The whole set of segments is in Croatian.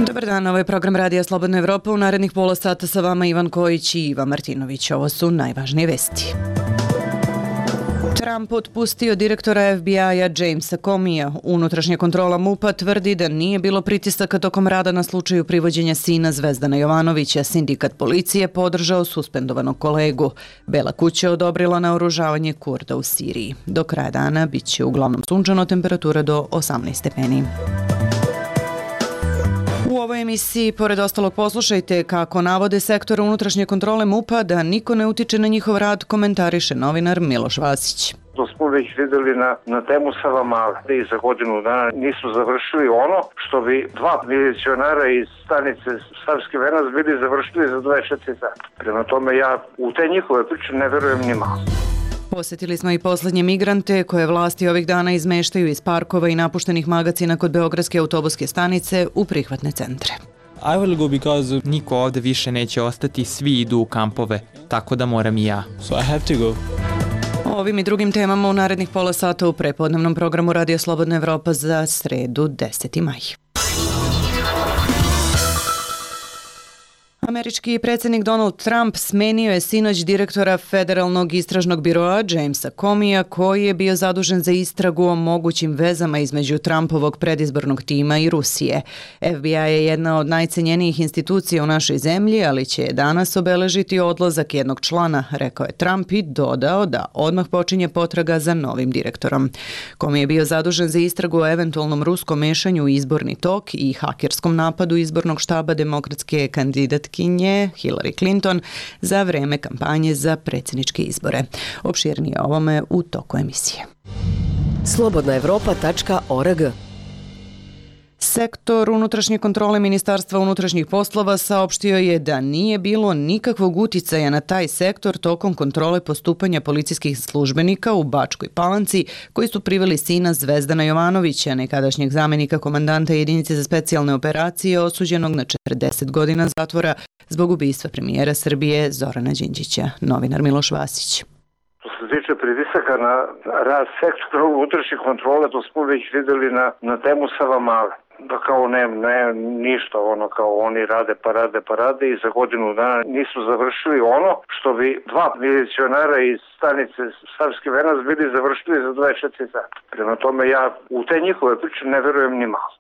Dobar dan, ovo je program Radija Slobodna Evropa. U narednih pola sata sa vama Ivan Kojić i Ivan Martinović. Ovo su najvažnije vesti. Trump otpustio direktora FBI-a Jamesa Comeyja. Unutrašnja kontrola MUP-a tvrdi da nije bilo pritisaka tokom rada na slučaju privođenja sina Zvezdana Jovanovića. Sindikat policije podržao suspendovanog kolegu. Bela kuća odobrila naoružavanje Kurda u Siriji. Do kraja dana bit će uglavnom sunčano, temperatura do 18 stepeni. U ovoj emisiji, pored ostalog, poslušajte kako navode sektor unutrašnje kontrole MUP-a da niko ne utiče na njihov rad, komentariše novinar Miloš Vasić. To smo već videli na temu Savamale. I za godinu dana nisu završili ono što bi dva milicionara iz stanice Savski Venac bili završili za 24 sata. Prema tome ja u te njihove priče ne verujem ni malo. Posjetili smo i poslednje migrante koje vlasti ovih dana izmeštaju iz parkova i napuštenih magacina kod Beogradske autobuske stanice u prihvatne centre. I will go because niko ovde više neće ostati, svi idu u kampove, tako da moram i ja. So I have to go. O ovim i drugim temama u narednih pola sata u prepodnevnom programu Radija Slobodna Evropa za sredu 10. maj. Američki predsjednik Donald Trump smenio je sinoć direktora Federalnog istražnog biroa Jamesa Comeyja, koji je bio zadužen za istragu o mogućim vezama između Trumpovog predizbornog tima i Rusije. FBI je jedna od najcenjenijih institucija u našoj zemlji, ali će danas obeležiti odlazak jednog člana, rekao je Trump i dodao da odmah počinje potraga za novim direktorom. Comey je bio zadužen za istragu o eventualnom ruskom mešanju u izborni tok i hakerskom napadu izbornog štaba demokratske kandidatke Hillary Clinton za vreme kampanje za predsjedničke izbore. Opširnije o ovome u toku emisije. slobodnaevropa.org. Sektor unutrašnje kontrole Ministarstva unutrašnjih poslova saopštio je da nije bilo nikakvog uticaja na taj sektor tokom kontrole postupanja policijskih službenika u Bačkoj Palanci koji su priveli sina Zvezdana Jovanovića, nekadašnjeg zamenika komandanta jedinice za specijalne operacije, osuđenog na 40 godina zatvora zbog ubistva premijera Srbije Zorana Đinđića. Novinar Miloš Vasić. Što se tiče pritisaka na rad sektora unutrašnje kontrole, to smo već videli na temu Savamale. Da kao ne ništa, ono kao oni rade i za godinu dana nisu završili ono što bi dva milicionara iz stanice Savski Venac bili završili za 24 sata. Prema tome ja u te njihove priče ne verujem ni malo.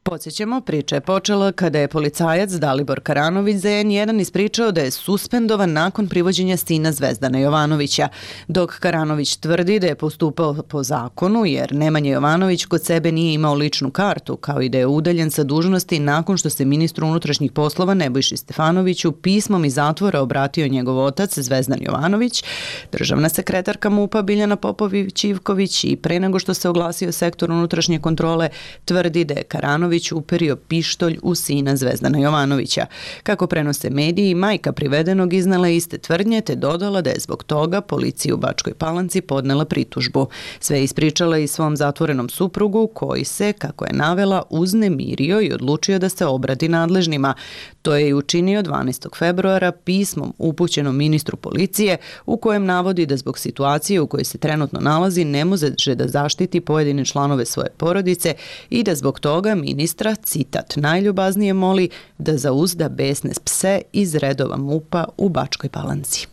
Podsjećamo, priča je počela kada je policajac Dalibor Karanović za N1 ispričao da je suspendovan nakon privođenja sina Zvezdana Jovanovića, dok Karanović tvrdi da je postupao po zakonu jer Nemanja Jovanović kod sebe nije imao ličnu kartu, kao i da je udaljen sa dužnosti nakon što se ministru unutrašnjih poslova Nebojši Stefanoviću pismom iz zatvora obratio njegov otac Zvezdan Jovanović. Državna sekretarka MUP-a Biljana Popović-Ivković i pre nego što se oglasio sektor unutrašnje kontrole tvrdi da je Karanović uperio pištolj u sina Zvezdana Jovanovića. Kako prenose mediji, majka privedenog iznala iste tvrdnje te dodala da je zbog toga policiji u Bačkoj Palanci podnela pritužbu. Sve ispričala i svom zatvorenom suprugu koji se, kako je navela, uznemirio i odlučio da se obrati nadležnima. To je i učinio 12. februara pismom upućenom ministru policije u kojem navodi da zbog situacije u kojoj se trenutno nalazi ne može da zaštiti pojedine članove svoje porodice i da zbog toga ministra, citat, najljubaznije moli da zauzda besne pse iz redova MUP-a u Bačkoj Palanci.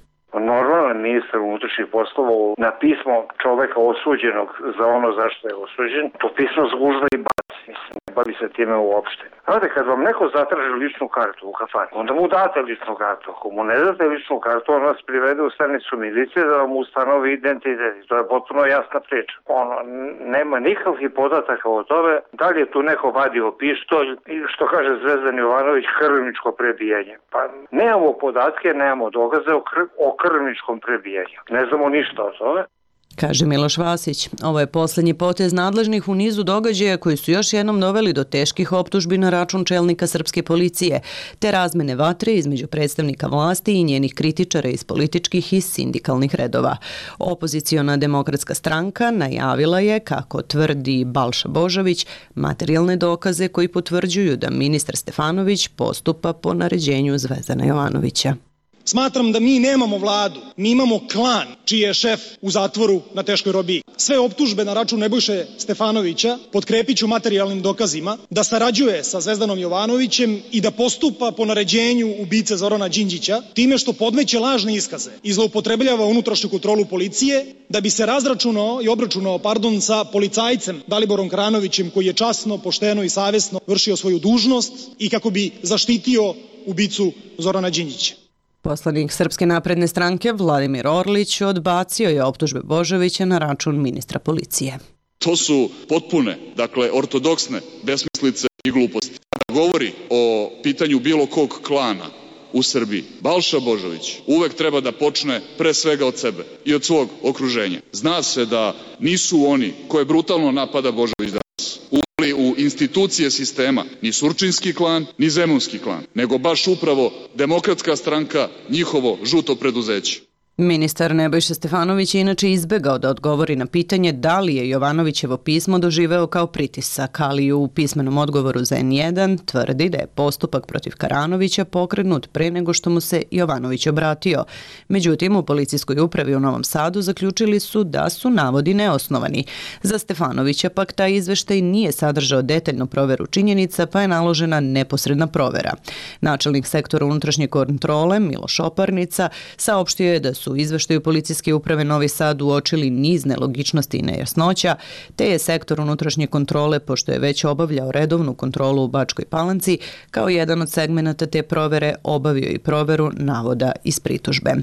Normalno ministar unutrašnjih poslova na pismo čoveka osuđenog za ono zašto je osuđen, to pismo zgužva i baci. Ne bavi se time uopšte. Znate, kad vam neko zatraži ličnu kartu u kafani, onda mu date ličnu kartu. Ako mu ne date ličnu kartu, on vas privede u stanicu milicije da vam ustanovi identitet. To je potpuno jasna priča. Nema nikakvih podataka o tome da li je tu neko vadio pištolj i što kaže Zvezdan Jovanović, krvničko prebijanje. Pa nemamo podatke, nemamo dokaze o krvničkom prebijanju. Ne znamo ništa o tome. Kaže Miloš Vasić. Ovo je posljednji potez nadležnih u nizu događaja koji su još jednom doveli do teških optužbi na račun čelnika srpske policije, te razmene vatre između predstavnika vlasti i njenih kritičara iz političkih i sindikalnih redova. Opoziciona demokratska stranka najavila je, kako tvrdi Balša Božović, materijalne dokaze koji potvrđuju da ministar Stefanović postupa po naređenju Zvezdana Jovanovića. Smatram da mi nemamo vladu, mi imamo klan čiji je šef u zatvoru na teškoj robiji. Sve optužbe na račun Nebojše Stefanovića potkrepiću materijalnim dokazima, da sarađuje sa Zvezdanom Jovanovićem i da postupa po naređenju ubice Zorana Đinđića, time što podmeće lažne iskaze i zloupotrebljava unutrašnju kontrolu policije, da bi se razračunao i obračunao sa policajcem Daliborom Karanovićem, koji je časno, pošteno i savjesno vršio svoju dužnost, i kako bi zaštitio ubicu Zorana Đinđića. Poslanik Srpske napredne stranke Vladimir Orlić odbacio je optužbe Božovića na račun ministra policije. To su potpune, ortodoksne besmislice i gluposti. Kada govori o pitanju bilo kog klana u Srbiji, Balša Božović uvek treba da počne pre svega od sebe i od svog okruženja. Zna se da nisu oni koje brutalno napada Božović danas uveli u institucije sistema ni Surčinski klan, ni Zemunski klan, nego baš upravo Demokratska stranka, njihovo žuto preduzeće. Ministar Nebojša Stefanović je inače izbegao da odgovori na pitanje da li je Jovanovićevo pismo doživeo kao pritisak, ali u pismenom odgovoru za N1 tvrdi da je postupak protiv Karanovića pokrenut pre nego što mu se Jovanović obratio. Međutim, u policijskoj upravi u Novom Sadu zaključili su da su navodi neosnovani. Za Stefanovića pak taj izveštaj nije sadržao detaljnu proveru činjenica, pa je naložena neposredna provera. Načelnik sektora unutrašnje kontrole Miloš Oparnica saopštio je da su u izveštaju policijske uprave Novi Sad uočili niz nelogičnosti i nejasnoća, te je sektor unutrašnje kontrole, pošto je već obavljao redovnu kontrolu u Bačkoj Palanci, kao jedan od segmenata te provere obavio i proveru navoda iz pritužbe.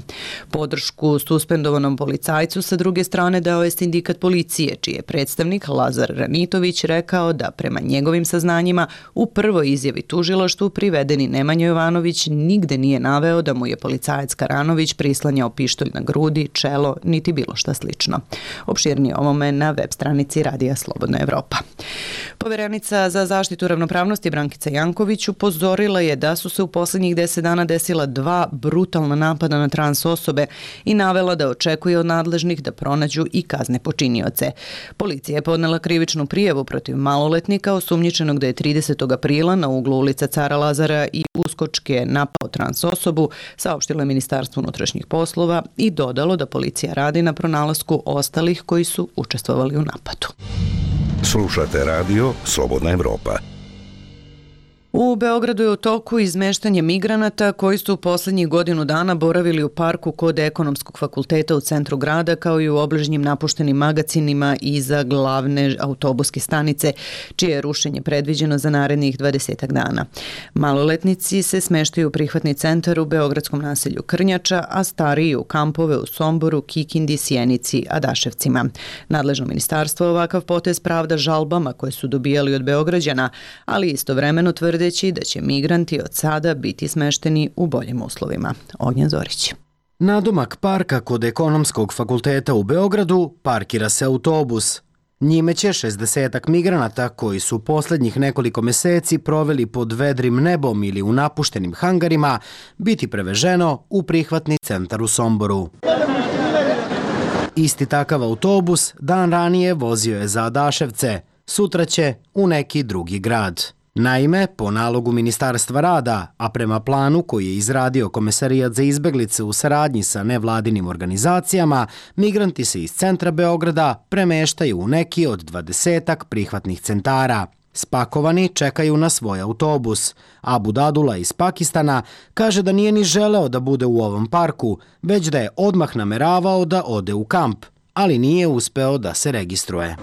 Podršku suspendovanom policajcu sa druge strane dao je sindikat policije, čiji je predstavnik Lazar Ranitović rekao da prema njegovim saznanjima u prvoj izjavi tužilaštvu privedeni Nemanja Jovanović nigde nije naveo da mu je policajac Karanović prislanjao pištolj na grudi, čelo, niti bilo šta slično. Opširnije ovome na web stranici Radija Slobodna Evropa. Poverenica za zaštitu ravnopravnosti Brankica Janković upozorila je da su se u poslednjih 10 dana desila 2 brutalna napada na trans osobe i navela da očekuje od nadležnih da pronađu i kazne počinioce. Policija je podnela krivičnu prijavu protiv maloletnika osumnjičenog da je 30. aprila na uglu ulica Cara Lazara i Uskočke napao trans osobu, saopštilo je Ministarstvo unutrašnjih poslova i dodalo da policija radi na pronalasku ostalih koji su učestvovali u napadu. Slušate radio Slobodna Evropa. U Beogradu je u toku izmeštanje migranata koji su u poslednjih godinu dana boravili u parku kod Ekonomskog fakulteta u centru grada, kao i u obližnjim napuštenim magacinima iza glavne autobuske stanice, čije je rušenje predviđeno za narednih 20 dana. Maloletnici se smeštaju u prihvatni centar u beogradskom naselju Krnjača, a stariji u kampove u Somboru, Kikindi, Sjenici, Adaševcima. Nadležno ministarstvo ovakav potez pravda žalbama koje su dobijali od Beograđana, ali istovremeno tvrde da će migranti od sada biti smešteni u boljim uslovima. Ognjen Zorić. Nadomak parka kod Ekonomskog fakulteta u Beogradu parkira se autobus. Njime će 60 migranata koji su poslednjih nekoliko meseci proveli pod vedrim nebom ili u napuštenim hangarima biti preveženo u prihvatni centar u Somboru. Isti takav autobus dan ranije vozio je za Adaševce, sutra će u neki drugi grad. Naime, po nalogu Ministarstva rada, a prema planu koji je izradio Komesarijat za izbeglice u saradnji sa nevladinim organizacijama, migranti se iz centra Beograda premeštaju u neki od 20 prihvatnih centara. Spakovani čekaju na svoj autobus. Abu Dadula iz Pakistana kaže da nije ni želeo da bude u ovom parku, već da je odmah nameravao da ode u kamp, ali nije uspeo da se registruje.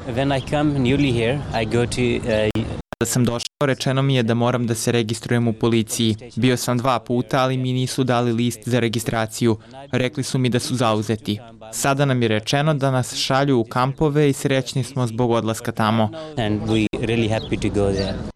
Kada sam došao, rečeno mi je da moram da se registrujem u policiji. Bio sam 2 puta, ali mi nisu dali list za registraciju. Rekli su mi da su zauzeti. Sada nam je rečeno da nas šalju u kampove i srećni smo zbog odlaska tamo.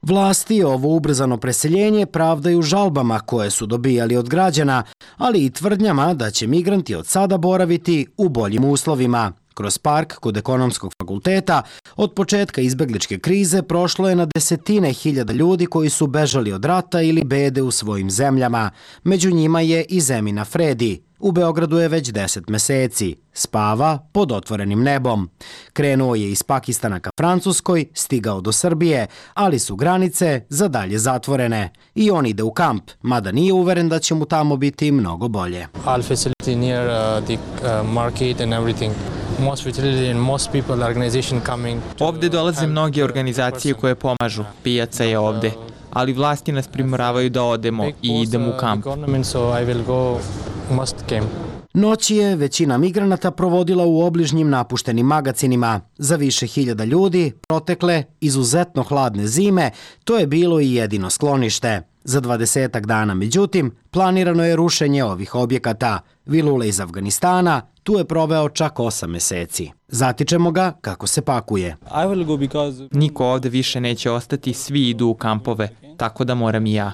Vlasti ovo ubrzano preseljenje pravdaju žalbama koje su dobijali od građana, ali i tvrdnjama da će migranti od sada boraviti u boljim uslovima. Kroz park kod ekonomskog fakulteta od početka izbegličke krize prošlo je na desetine hiljada ljudi koji su bežali od rata ili bede u svojim zemljama. Među njima je i Zemina Fredi. U Beogradu je već 10 meseci. Spava pod otvorenim nebom. Krenuo je iz Pakistana ka Francuskoj, stigao do Srbije, ali su granice za dalje zatvorene. I on ide u kamp, mada nije uveren da će mu tamo biti mnogo bolje. All facility near the market and everything. Most facility and most people organization coming. Ovde dolaze mnoge organizacije koje pomažu. Pijaca je ovde. Ali vlasti nas primoravaju da odemo i idemo u kamp. Noć je većina migranata provodila u obližnjim napuštenim magacinima. Za više hiljada ljudi protekle izuzetno hladne zime to je bilo i jedino sklonište. Za 20 dana, međutim, planirano je rušenje ovih objekata. Vilule iz Afganistana tu je proveo čak 8 meseci. Zatičemo ga kako se pakuje. Niko ovde više neće ostati, svi idu u kampove, tako da moram i ja.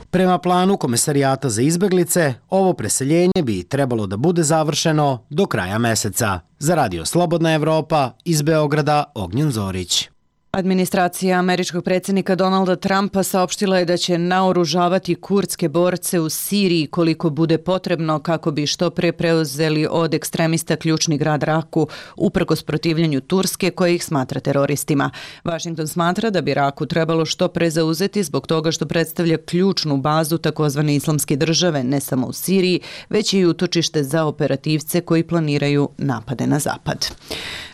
Prema planu Komesarijata za izbeglice, ovo preseljenje bi trebalo da bude završeno do kraja meseca. Za Radio Slobodna Evropa, iz Beograda, Ognjen Zorić. Administracija američkog predsjednika Donalda Trumpa saopštila je da će naoružavati kurdske borce u Siriji koliko bude potrebno kako bi što pre preuzeli od ekstremista ključni grad Raku uprkos protivljenju Turske koje ih smatra teroristima. Washington smatra da bi Raku trebalo što pre zauzeti zbog toga što predstavlja ključnu bazu takozvane islamske države ne samo u Siriji, već i utočište za operativce koji planiraju napade na zapad.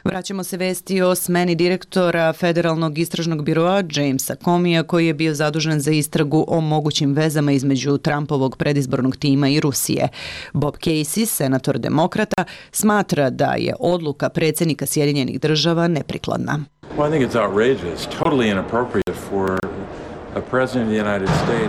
Vraćamo se vesti o smeni direktora Federalnog istražnog biroa Jamesa Comeyja koji je bio zadužen za istragu o mogućim vezama između Trumpovog predizbornog tima i Rusije. Bob Casey, senator demokrata, smatra da je odluka predsjednika Sjedinjenih država neprikladna.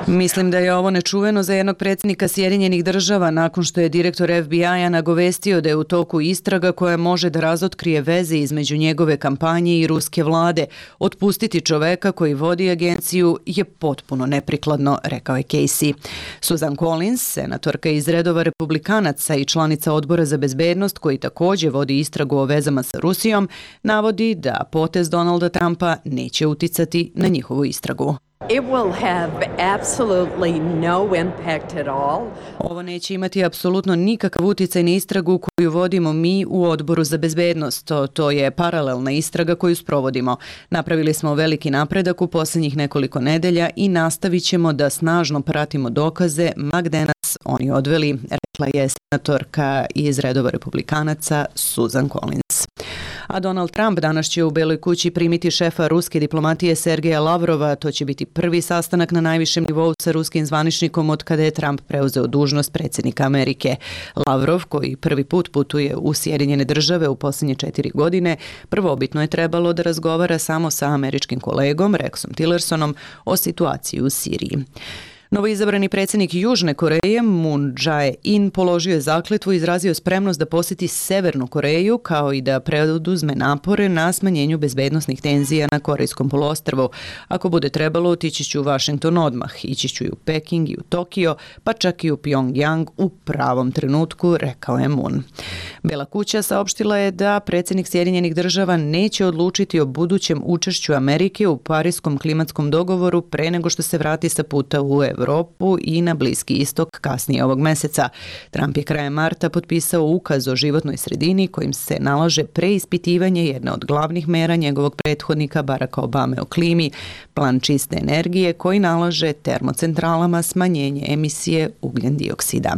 Mislim da je ovo nečuveno za jednog predsjednika Sjedinjenih država nakon što je direktor FBI-a nagovestio da je u toku istraga koja može da razotkrije veze između njegove kampanje i ruske vlade. Otpustiti čoveka koji vodi agenciju je potpuno neprikladno, rekao je Casey. Susan Collins, senatorka iz redova republikanaca i članica odbora za bezbednost koji također vodi istragu o vezama sa Rusijom, navodi da potez Donalda Trumpa neće uticati na njihovu istragu. It will have absolutely no impact at all. Ovo neće imati apsolutno nikakav uticaj na istragu koju vodimo mi u odboru za bezbednost. To je paralelna istraga koju sprovodimo. Napravili smo veliki napredak u posljednjih nekoliko nedelja i nastavit ćemo da snažno pratimo dokaze ma gde nas oni odveli, rekla je senatorka iz redova republikanaca Susan Collins. A Donald Trump danas će u Beloj kući primiti šefa ruske diplomatije Sergeja Lavrova. To će biti prvi sastanak na najvišem nivou sa ruskim zvaničnikom od kada je Trump preuzeo dužnost predsjednika Amerike. Lavrov, koji prvi put putuje u Sjedinjene države u posljednje 4 godine, prvobitno je trebalo da razgovara samo sa američkim kolegom Rexom Tillersonom o situaciji u Siriji. Novoizabrani predsjednik Južne Koreje Moon Jae-in položio je zakletvu i izrazio spremnost da posjeti Severnu Koreju kao i da preduzme napore na smanjenju bezbednosnih tenzija na Korejskom poluostrvu. Ako bude trebalo, otići ću u Washington odmah, ići ću i u Peking i u Tokio, pa čak i u Pyongyang u pravom trenutku, rekao je Moon. Bela kuća saopštila je da predsjednik Sjedinjenih država neće odlučiti o budućem učešću Amerike u Parijskom klimatskom dogovoru pre nego što se vrati sa puta u Evropu i na Bliski istok kasnije ovog meseca. Trump je krajem marta potpisao ukaz o životnoj sredini kojim se nalaže preispitivanje jedne od glavnih mera njegovog prethodnika Baracka Obame o klimi, plan čiste energije koji nalaže termocentralama smanjenje emisije ugljen dioksida.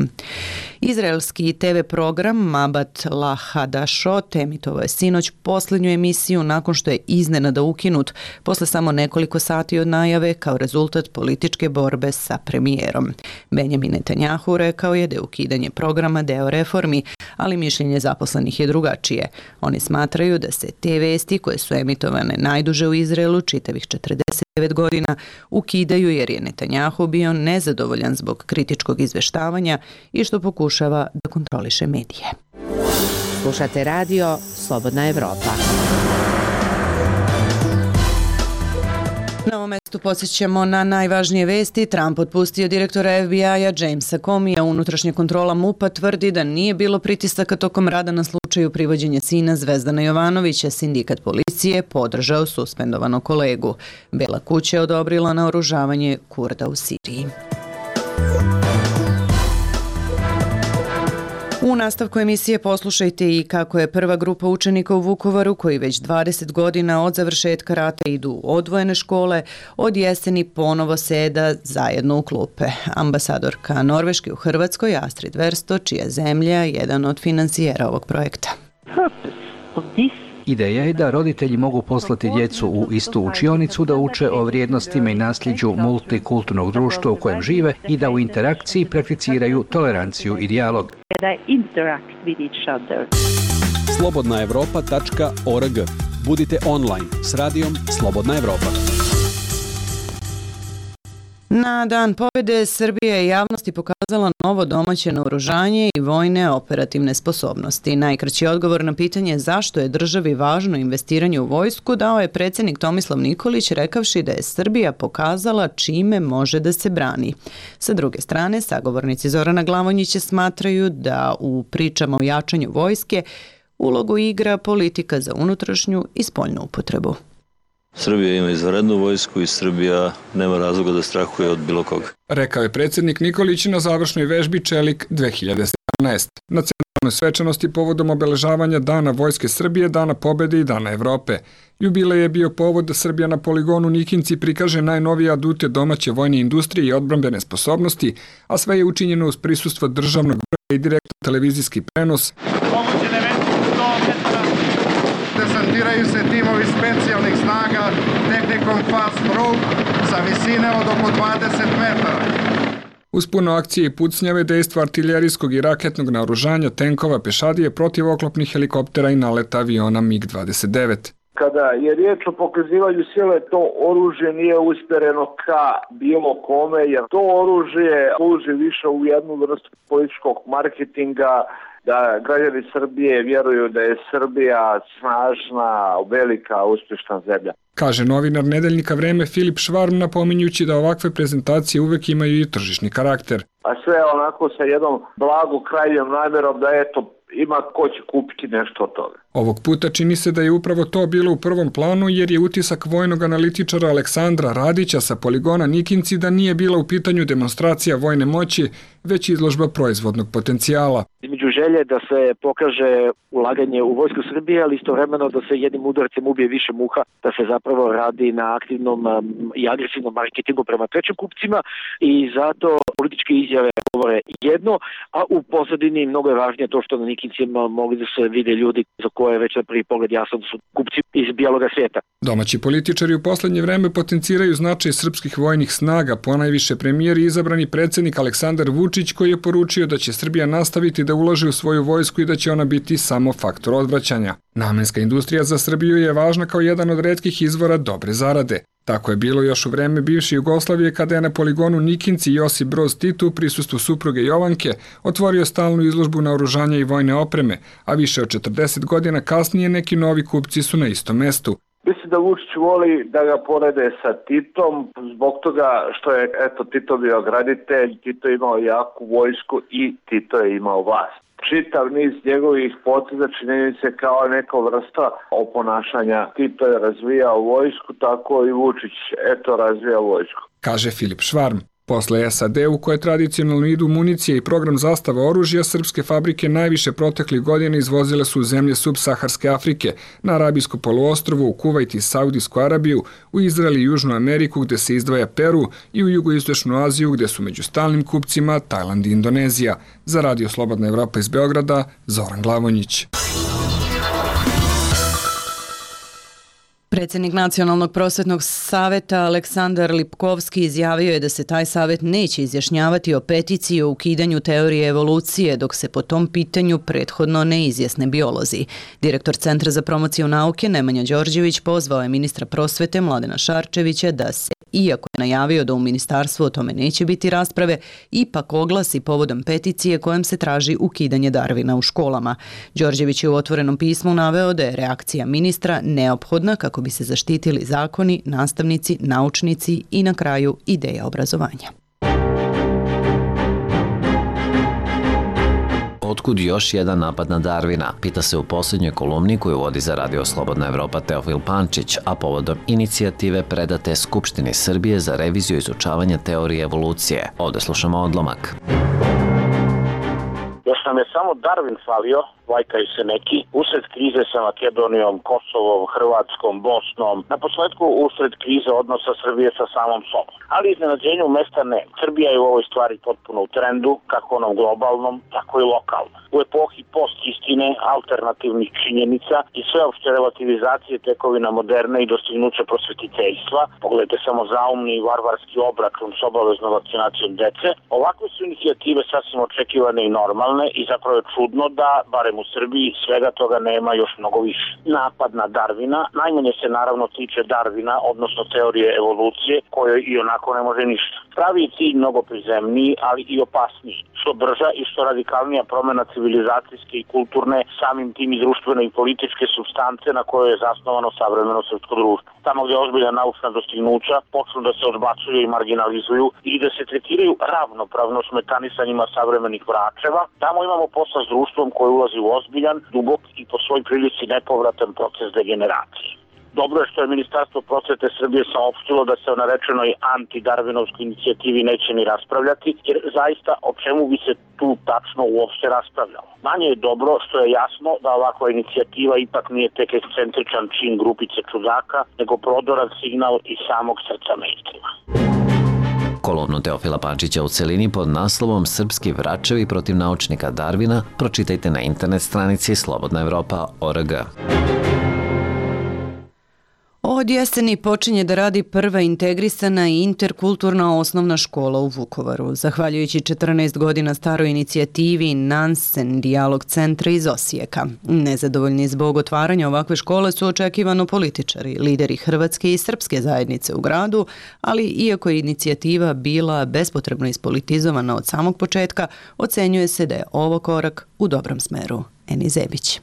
Izraelski TV program Mabat Lahadashot emitovao je sinoć posljednju emisiju nakon što je iznenada ukinut posle samo nekoliko sati od najave kao rezultat političke borbe sa premijerom. Benjamin Netanjahu rekao je da je ukidanje programa deo reformi, ali mišljenje zaposlenih je drugačije. Oni smatraju da se te vesti koje su emitovane najduže u Izraelu, čitavih 49 godina, ukidaju jer je Netanjahu bio nezadovoljan zbog kritičkog izveštavanja i što pokušava da kontroliše medije. Slušate radio Slobodna Evropa. Na ovom mestu podsjećamo na najvažnije vesti. Trump otpustio direktora FBI-a Jamesa Comeyja. Unutrašnja kontrola MUP-a tvrdi da nije bilo pritisaka tokom rada na slučaju slučaju privođenja sina Zvezdana Jovanovića, sindikat policije podržao suspendovanog kolegu. Bela kuća je odobrila naoružavanje Kurda u Siriji. U nastavku emisije poslušajte i kako je prva grupa učenika u Vukovaru, koji već 20 godina od završetka rata idu u odvojene škole, od jeseni ponovo seda zajedno u klupe. Ambasadorka Norveške u Hrvatskoj, Astrid Versto, čija zemlja je jedan od finansijera ovog projekta. Ideja je da roditelji mogu poslati djecu u istu učionicu da uče o vrijednostima i nasljeđu multikulturnog društva u kojem žive i da u interakciji prakticiraju toleranciju i dijalog. Slobodnaevropa.org. Budite online s radijom Slobodna Evropa. Na Dan pobjede Srbija je javnosti pokazala novo domaće naoružanje i vojne operativne sposobnosti. Najkraći odgovor na pitanje zašto je državi važno investiranje u vojsku dao je predsjednik Tomislav Nikolić, rekavši da je Srbija pokazala čime može da se brani. Sa druge strane, sagovornici Zorana Glavonjića smatraju da u pričama o jačanju vojske ulogu igra politika za unutrašnju i spoljnu upotrebu. Srbija ima izvanrednu vojsku i Srbija nema razloga da strahuje od bilo koga. Rekao je predsjednik Nikolić na završnoj vežbi Čelik 2017. Na centralnoj svečanosti povodom obeležavanja Dana Vojske Srbije, Dana pobjede i Dana Evrope. Jubilej je bio povod da Srbija na poligonu Nikinci prikaže najnovije adute domaće vojne industrije i odbrambene sposobnosti, a sve je učinjeno uz prisustvo državnog vrha i direktno televizijski prenos. Desantiraju se timovi specijalnih snaga tehnikom Fast Probe sa visine od oko 20 metara. Uz puno akcije i pucnjave, dejstva artiljerijskog i raketnog naoružanja, tenkova, pešadije, protivoklopnih helikoptera i naleta aviona MiG-29. Kada je riječ o pokazivanju sile, to oružje nije usmjereno ka bilo kome, jer to oružje služi više u jednu vrstu političkog marketinga, da građani Srbije vjeruju da je Srbija snažna, velika, uspješna zemlja. Kaže novinar nedeljnika Vreme Filip Švarm, napominjući da ovakve prezentacije uvek imaju i tržišni karakter. A sve onako sa jednom blagu krajnjom namjerom da eto, ima ko će kupiti nešto od toga. Ovog puta čini se da je upravo to bilo u prvom planu, jer je utisak vojnog analitičara Aleksandra Radića sa poligona Nikinci da nije bila u pitanju demonstracija vojne moći, već izložba proizvodnog potencijala. Između želje da se pokaže ulaganje u vojsku Srbije, ali istovremeno da se jednim udarcem ubije više muha, da se zapravo radi na aktivnom i agresivnom marketingu prema trećim kupcima i zato političke izjave govore jedno, a u pozadini mnogo je važnije to što na Nikincima mogli da se vide ljudi za koje je već na prvi pogled jasno da su kupci iz bijeloga svijeta. Domaći političari u poslednje vreme potenciraju značaj srpskih vojnih snaga, ponajviše premijer i izabrani predsjednik Aleksandar Vučić, koji je poručio da će Srbija nastaviti da ulaže u svoju vojsku i da će ona biti samo faktor odvraćanja. Namenska industrija za Srbiju je važna kao jedan od retkih izvora dobre zarade. Tako je bilo još u vreme bivše Jugoslavije, kada je na poligonu Nikinci Josip Broz Tito u prisustvu supruge Jovanke otvorio stalnu izložbu naoružanja i vojne opreme, a više od 40 godina kasnije neki novi kupci su na istom mestu. Mislim da Vučić voli da ga porede sa Titom, zbog toga što je Tito bio graditelj, Tito je imao jaku vojsku i Tito je imao vlast. Čitav niz njegovih poteza čini se kao neka vrsta oponašanja. Tito je razvijao vojsku, tako i Vučić razvija vojsku. Kaže Filip Švarm. Posle SAD u koje tradicionalno idu municije i program zastava oružja, srpske fabrike najviše proteklih godina izvozile su u zemlje subsaharske Afrike, na Arabijsko poluostrvo, u Kuvajt i Saudijsku Arabiju, u Izrael i Južnu Ameriku gde se izdvaja Peru i u Jugoistočnu Aziju gde su među stalnim kupcima Tajland i Indonezija. Za Radio Slobodna Evropa iz Beograda, Zoran Glavonjić. Predsjednik Nacionalnog prosvetnog saveta Aleksandar Lipkovski izjavio je da se taj savet neće izjašnjavati o peticiji o ukidanju teorije evolucije dok se po tom pitanju prethodno ne izjasne biolozi. Direktor Centra za promociju nauke Nemanja Đorđević pozvao je ministra prosvete Mladena Šarčevića da se, iako je najavio da u ministarstvu o tome neće biti rasprave, ipak oglasi povodom peticije kojom se traži ukidanje Darvina u školama. Đorđević je u otvorenom pismu naveo da je reakcija ministra neophodna kako bi se zaštitili zakoni, nastavnici, naučnici i na kraju ideja obrazovanja. Otkud još jedan napad na Darvina? Pita se u posljednjoj kolumni koju vodi za Radio Slobodna Evropa Teofil Pančić, a povodom inicijative predate Skupštini Srbije za reviziju izučavanja teorije evolucije. Ovde slušamo odlomak. Još nam je samo Darwin falio, vajkaju se neki, usred krize sa Makedonijom, Kosovom, Hrvatskom, Bosnom, na posledku usred krize odnosa Srbije sa samom sobom. Ali iznenađenju mesta ne. Srbija je u ovoj stvari potpuno u trendu, kako onom globalnom, tako i lokalnom. U epohi post-istine, alternativnih činjenica i sveopšte relativizacije tekovina moderne i dostignuća prosvetiteljstva, pogledajte samo zaumni i varvarski obračun s obaveznom vakcinacijom dece, ovakve su inicijative sasvim očekivane i normalne i zapravo je čudno da, barem u Srbiji, svega toga nema još mnogo više. Napad na Darwina najmanje se naravno tiče Darwina, odnosno teorije evolucije, kojoj i onako ne može ništa. Pravi je cilj mnogo prizemniji, ali i opasniji. Što brža i što radikalnija promena civilizacijske i kulturne, samim tim i društvene i političke supstance na kojoj je zasnovano savremeno srpsko društvo. Tamo gdje ozbiljna naučna dostignuća počnu da se odbacuju i marginalizuju i da se tretiraju ravnopravno s metanisanjima savremenih vračeva, tamo imamo posla s društvom koje ulazi u ozbiljan, dubok i po svoj prilici nepovratan proces degeneracije. Dobro je što je Ministarstvo prosvete Srbije saopštilo da se o narečenoj anti-darvinovskoj inicijativi neće ni raspravljati, jer zaista o čemu bi se tu tačno uopšte raspravljalo. Manje je dobro što je jasno da ovakva inicijativa ipak nije tek ekscentričan čin grupice čudaka, nego prodoran signal iz samog srca mainstreama. Kolumnu Teofila Pančića u celini pod naslovom Srpski vračevi protiv naučnika Darvina pročitajte na internet stranici slobodnaevropa.org. Od jeseni počinje da radi prva integrisana i interkulturna osnovna škola u Vukovaru. Zahvaljujući 14 godina staroj inicijativi Nansen dijalog centra iz Osijeka. Nezadovoljni zbog otvaranja ovakve škole su očekivano političari, lideri hrvatske i srpske zajednice u gradu, ali iako je inicijativa bila bespotrebno ispolitizovana od samog početka, ocenjuje se da je ovo korak u dobrom smeru. Eni Zebić.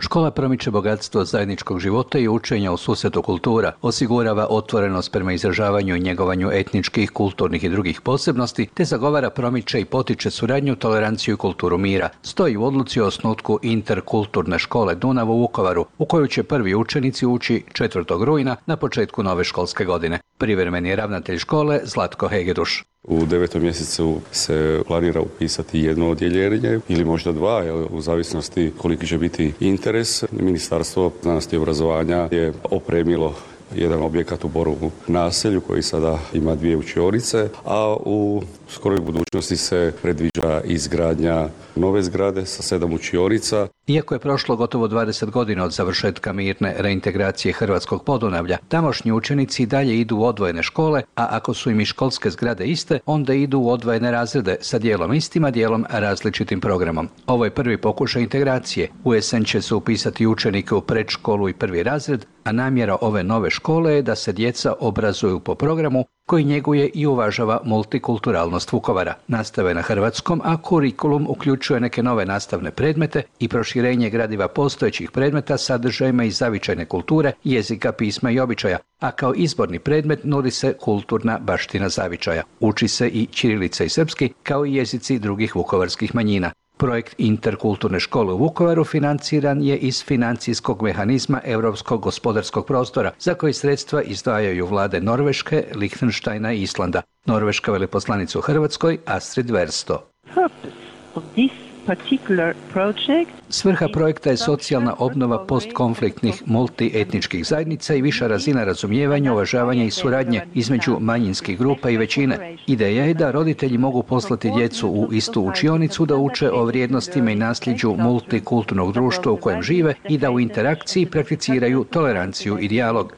Škola promiče bogatstvo zajedničkog života i učenja u susretu kultura, osigurava otvorenost prema izražavanju i njegovanju etničkih, kulturnih i drugih posebnosti, te zagovara, promiče i potiče suradnju, toleranciju i kulturu mira. Stoji u odluci o osnutku interkulturne škole Dunav u Vukovaru, u koju će prvi učenici ući 4. rujna na početku nove školske godine. Privremeni je ravnatelj škole Zlatko Hegeduš. U 9. mjesecu se planira upisati jedno odjeljenje ili možda dva, u zavisnosti koliki će biti interes. Ministarstvo znanosti i obrazovanja je opremilo jedan objekat u Borovu naselju koji sada ima 2 učionice, a u skoroj budućnosti se predviđa izgradnja nove zgrade sa 7 učionica. Iako je prošlo gotovo 20 godina od završetka mirne reintegracije Hrvatskog Podunavlja, tamošnji učenici dalje idu u odvojene škole, a ako su im i školske zgrade iste, onda idu u odvojene razrede sa dijelom istima, dijelom različitim programom. Ovo je prvi pokušaj integracije. U jesen će se upisati učenike u predškolu i 1. razred, a namjera ove nove škole je da se djeca obrazuju po programu koji njeguje i uvažava multikulturalnost Vukovara. Nastave na hrvatskom, a kurikulum uključuje neke nove nastavne predmete i proširenje gradiva postojećih predmeta sadržajima iz zavičajne kulture, jezika, pisma i običaja, a kao izborni predmet nudi se kulturna baština zavičaja. Uči se i ćirilica i srpski, kao i jezici drugih vukovarskih manjina. Projekt interkulturne škole u Vukovaru financiran je iz financijskog mehanizma Europskog gospodarskog prostora, za koji sredstva izdvajaju vlade Norveške, Lihtenštajna i Islanda. Norveška veleposlanica u Hrvatskoj Astrid Versto. Svrha projekta je socijalna obnova postkonfliktnih multietničkih zajednica i viša razina razumijevanja, uvažavanja i suradnje između manjinskih grupa i većine. Ideja je da roditelji mogu poslati djecu u istu učionicu da uče o vrijednostima i nasljeđu multikulturnog društva u kojem žive i da u interakciji prakticiraju toleranciju i dijalog.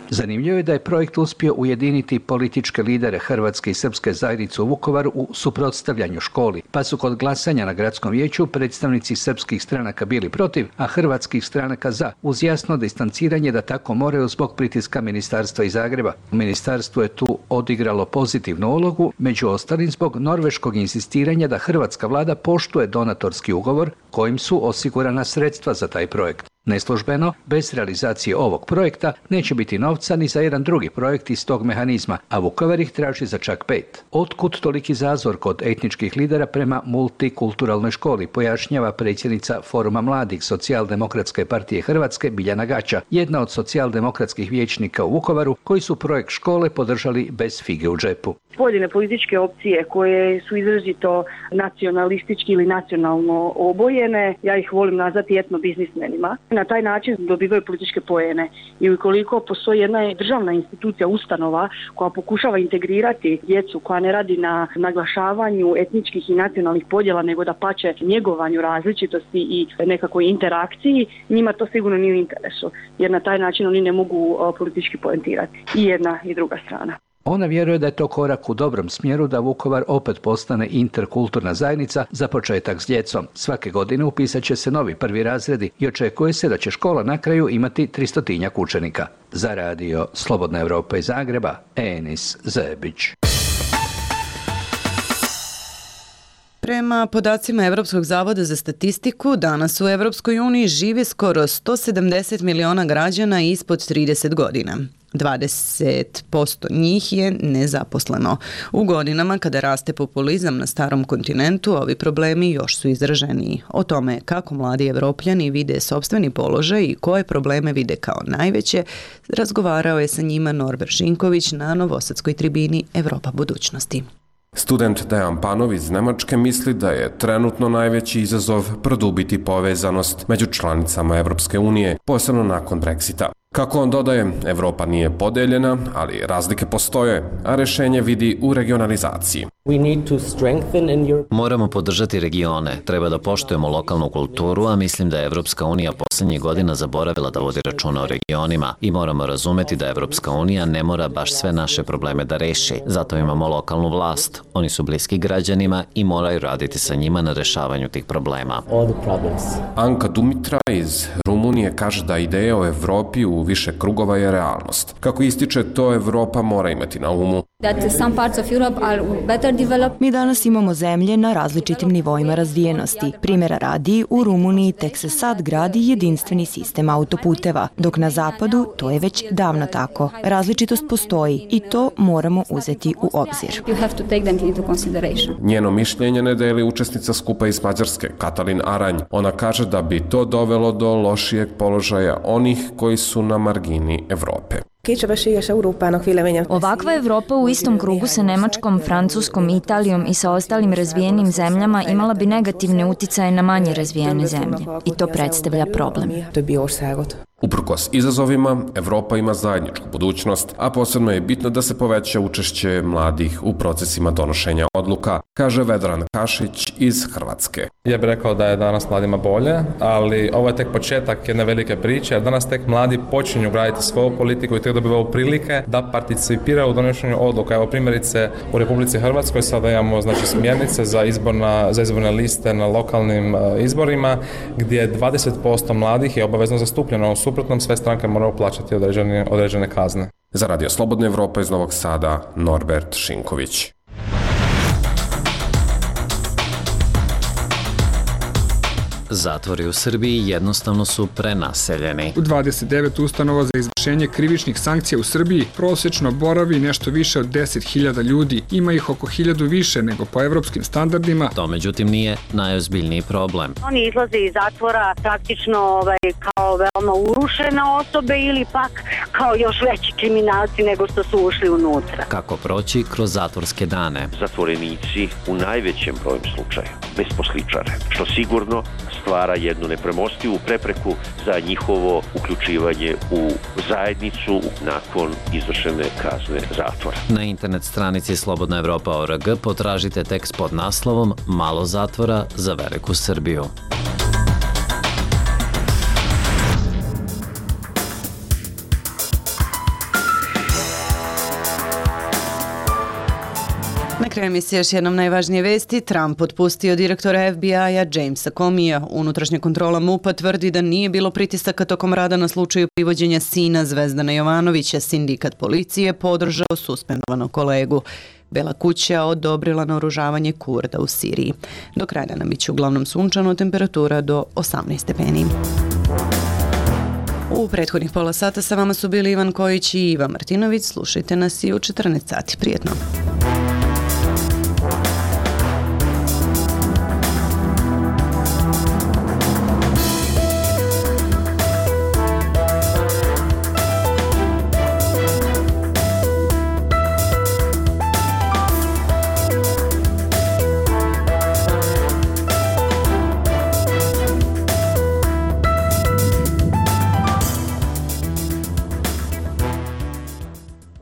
Zanimljivo je da je projekt uspio ujediniti političke lidere hrvatske i srpske zajednice u Vukovaru u suprotstavljanju školi, pa su kod glasanja na gradskom vijeću predstavnici srpskih stranaka bili protiv, a hrvatskih stranaka za, uz jasno distanciranje da tako moraju zbog pritiska ministarstva iz Zagreba. Ministarstvo je tu odigralo pozitivnu ulogu, među ostalim zbog norveškog insistiranja da hrvatska vlada poštuje donatorski ugovor kojim su osigurana sredstva za taj projekt. Neslužbeno, bez realizacije ovog projekta neće biti novca ni za jedan drugi projekt iz tog mehanizma, a Vukovar ih traži za čak 5. Otkud toliki zazor kod etničkih lidera prema multikulturalnoj školi, pojašnjava predsjednica Foruma mladih Socijaldemokratske partije Hrvatske Biljana Gaća, jedna od socijaldemokratskih vijećnika u Vukovaru koji su projekt škole podržali bez fige u džepu. Pojedine političke opcije koje su izrazito nacionalistički ili nacionalno obojene, ja ih volim nazvati etnobiznismenima, na taj način dobivaju političke poene. I ukoliko postoji jedna državna institucija, ustanova koja pokušava integrirati djecu, koja ne radi na naglašavanju etničkih i nacionalnih podjela, nego da pače njegovanju različitosti i nekakvoj interakciji, njima to sigurno nije u interesu, jer na taj način oni ne mogu politički poentirati. I jedna i druga strana. Ona vjeruje da je to korak u dobrom smjeru da Vukovar opet postane interkulturna zajednica za početak s djecom. Svake godine upisat će se novi prvi razredi i očekuje se da će škola na kraju imati 300 učenika. Za radio Slobodna Evropa iz Zagreba, Enis Zebić. Prema podacima Evropskog zavoda za statistiku, danas u Evropskoj uniji živi skoro 170 miliona građana ispod 30 godina. 20% njih je nezaposleno. U godinama kada raste populizam na starom kontinentu, ovi problemi još su izraženiji. O tome kako mladi Evropljani vide sopstveni položaj i koje probleme vide kao najveće, razgovarao je sa njima Norbert Šinković na Novosadskoj tribini Evropa budućnosti. Student Dejan Panov iz Nemačke misli da je trenutno najveći izazov produbiti povezanost među članicama Evropske unije, posebno nakon Brexita. Kako on dodaje, Evropa nije podeljena, ali razlike postoje, a rešenje vidi u regionalizaciji. Moramo podržati regione, treba da poštujemo lokalnu kulturu, a mislim da je Evropska unija poslednjih godina zaboravila da vodi računa o regionima i moramo razumeti da Evropska unija ne mora baš sve naše probleme da reši. Zato imamo lokalnu vlast. Oni su bliski građanima i moraju raditi sa njima na rešavanju tih problema. Anka Dumitra iz Rumunije kaže da ideja o Evropi u više krugova je realnost. Kako ističe, to Evropa mora imati na umu. Mi danas imamo zemlje na različitim nivoima razvijenosti. Primjera radi, u Rumuniji tek se sad gradi jedinstveni sistem autoputeva, dok na zapadu to je već davno tako. Različitost postoji i to moramo uzeti u obzir. Njeno mišljenje ne deli učesnica skupa iz Mađarske, Katalin Aranj. Ona kaže da bi to dovelo do lošijeg položaja onih koji su na margini Evrope. Ovakva Evropa u istom krugu sa Nemačkom, Francuskom, Italijom i sa ostalim razvijenim zemljama imala bi negativne uticaje na manje razvijene zemlje. I to predstavlja problem. Uprkos izazovima, Evropa ima zajedničku budućnost, a posebno je bitno da se poveća učešće mladih u procesima donošenja odluka, kaže Vedran Kašić iz Hrvatske. Ja bih rekao da je danas mladima bolje, ali ovo je tek početak jedne velike priče, jer danas tek mladi počinju graditi svoju politiku i tek dobivaju prilike da participiraju u donošenju odluka. Evo primjerice u Republici Hrvatskoj sada imamo smjernice za izborne liste na lokalnim izborima, gdje 20% mladih je obavezno zastupljeno. U suprotnom sve stranke moraju plaćati određene kazne. Za Radio Slobodna Evropa iz Novog Sada, Norbert Šinković. Zatvori u Srbiji jednostavno su prenaseljeni. U 29 ustanova za izvršenje krivičnih sankcija u Srbiji prosečno boravi nešto više od 10.000 ljudi. Ima ih oko 1.000 više nego po evropskim standardima. To međutim nije najozbiljniji problem. Oni izlaze iz zatvora praktično kao veoma urušene osobe ili pak kao još veći kriminalci nego što su ušli unutra. Kako proći kroz zatvorske dane? Zatvorenici u najvećem broju slučaja besposličare, što sigurno stvara jednu nepremostivu prepreku za njihovo uključivanje u zajednicu nakon izvršene kazne zatvora. Na internet stranici slobodnaevropa.org potražite tekst pod naslovom Malo zatvora za veliku Srbiju. Na kraju emisije još jednom najvažnije vesti. Trump otpustio direktora FBI-a Jamesa Comeyja. Unutrašnja kontrola MUP-a tvrdi da nije bilo pritisaka tokom rada na slučaju privođenja sina Zvezdana Jovanovića. Sindikat policije podržao suspendovanog kolegu. Bela kuća odobrila naoružavanje Kurda u Siriji. Do kraja dana biće uglavnom sunčano, temperatura do 18 stepeni. U prethodnih pola sata sa vama su bili Ivan Kojić i Iva Martinović. Slušajte nas i u 14 sati. Prijetno.